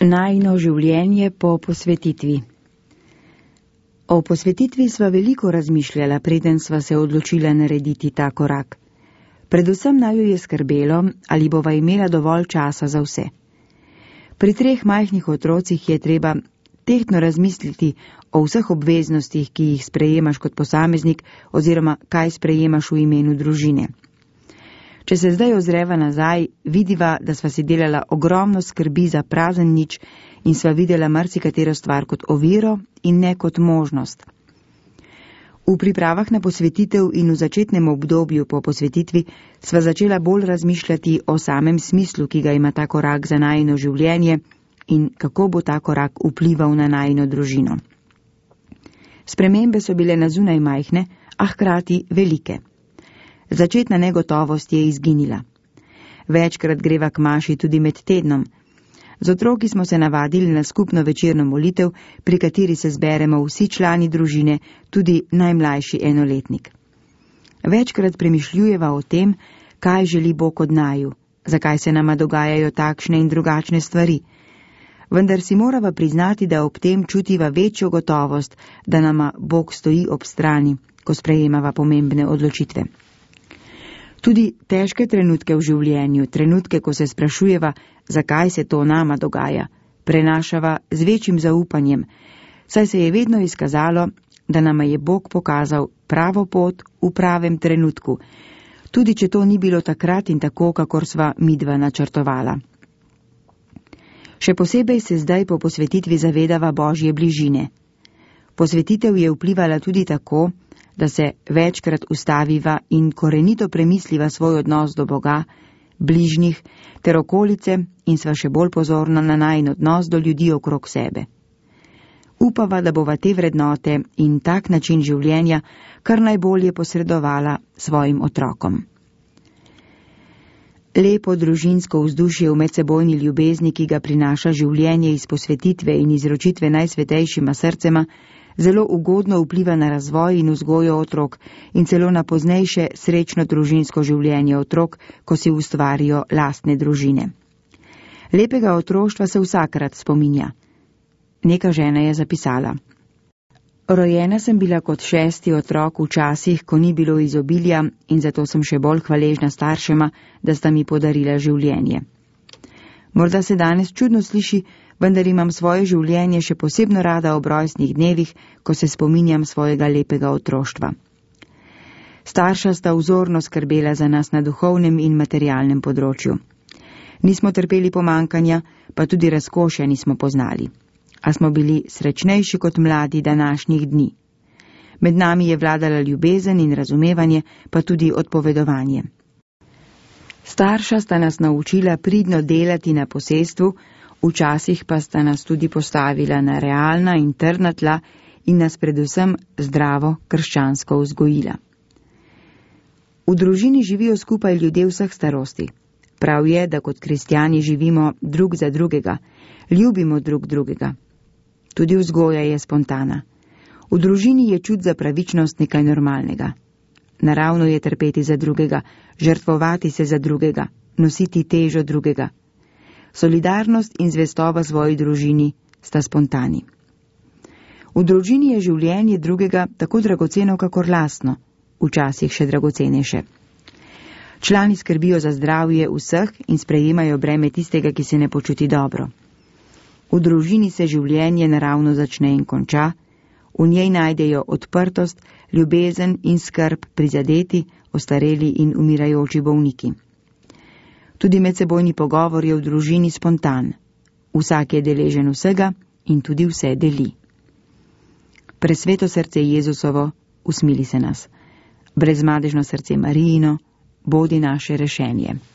Najino življenje po posvetitvi. O posvetitvi sva veliko razmišljala, preden sva se odločila narediti ta korak. Predvsem naju je skrbelo, ali bova imela dovolj časa za vse. Pri 3 majhnih otrocih je treba tehtno razmisliti o vseh obveznostih, ki jih sprejemaš kot posameznik oziroma kaj sprejemaš v imenu družine. Če se zdaj ozreva nazaj, vidiva, da sva si delala ogromno skrbi za prazen nič in sva videla marsikatero stvar kot oviro in ne kot možnost. V pripravah na posvetitev in v začetnem obdobju po posvetitvi sva začela bolj razmišljati o samem smislu, ki ga ima ta korak za najino življenje in kako bo ta korak vplival na najino družino. Spremembe so bile na zunaj majhne, a hkrati velike. Začetna negotovost je izginila. Večkrat greva k maši tudi med tednom. Z otroki smo se navadili na skupno večerno molitev, pri kateri se zberemo vsi člani družine, tudi najmlajši enoletnik. Večkrat premišljujeva o tem, kaj želi Bog od naju, zakaj se nama dogajajo takšne in drugačne stvari. Vendar si morava priznati, da ob tem čutiva večjo gotovost, da nama Bog stoji ob strani, ko sprejemava pomembne odločitve. Tudi težke trenutke v življenju, trenutke, ko se sprašujeva, zakaj se to nama dogaja, prenašava z večjim zaupanjem, saj se je vedno izkazalo, da nama je Bog pokazal pravo pot v pravem trenutku, tudi če to ni bilo takrat in tako, kakor sva midva načrtovala. Še posebej se zdaj po posvetitvi zavedava Božje bližine. Posvetitev je vplivala tudi tako, da se večkrat ustaviva in korenito premisliva svoj odnos do Boga, bližnjih ter okolice in sva še bolj pozorna na najin odnos do ljudi okrog sebe. Upava, da bova te vrednote in tak način življenja kar najbolje posredovala svojim otrokom. Lepo družinsko vzdušje v medsebojni ljubezni, ki ga prinaša življenje iz posvetitve in izročitve najsvetejšima srcema, zelo ugodno vpliva na razvoj in vzgojo otrok in celo na poznejše srečno družinsko življenje otrok, ko si ustvarijo lastne družine. Lepega otroštva se vsakrat spominja. Neka žena je zapisala: Rojena sem bila kot 6. otrok v časih, ko ni bilo izobilja in zato sem še bolj hvaležna staršema, da sta mi podarila življenje. Morda se danes čudno sliši, vendar imam svoje življenje še posebno rada ob rojstnih dnevih, ko se spominjam svojega lepega otroštva. Starša sta vzorno skrbela za nas na duhovnem in materialnem področju. Nismo trpeli pomankanja, pa tudi razkošja nismo poznali. A smo bili srečnejši kot mladi današnjih dni. Med nami je vladala ljubezen in razumevanje, pa tudi odpovedovanje. Starša sta nas naučila pridno delati na posestvu, včasih pa sta nas tudi postavila na realna in trdna tla in nas predvsem zdravo krščansko vzgojila. V družini živijo skupaj ljudje vseh starosti. Prav je, da kot kristjani živimo drug za drugega, ljubimo drug drugega. Tudi vzgoja je spontana. V družini je čut za pravičnost nekaj normalnega. Naravno je trpeti za drugega, žrtvovati se za drugega, nositi težo drugega. Solidarnost in zvestoba svoji družini sta spontani. V družini je življenje drugega tako dragoceno, kakor lastno, včasih še dragocenejše. Člani skrbijo za zdravje vseh in sprejemajo breme tistega, ki se ne počuti dobro. V družini se življenje naravno začne in konča, v njej najdejo odprtost, ljubezen in skrb prizadeti, ostareli in umirajoči bolniki. Tudi medsebojni pogovor je v družini spontan. Vsak je deležen vsega in tudi vse deli. Presveto srce Jezusovo, usmili se nas. Brezmadežno srce Marijino, bodi naše rešenje.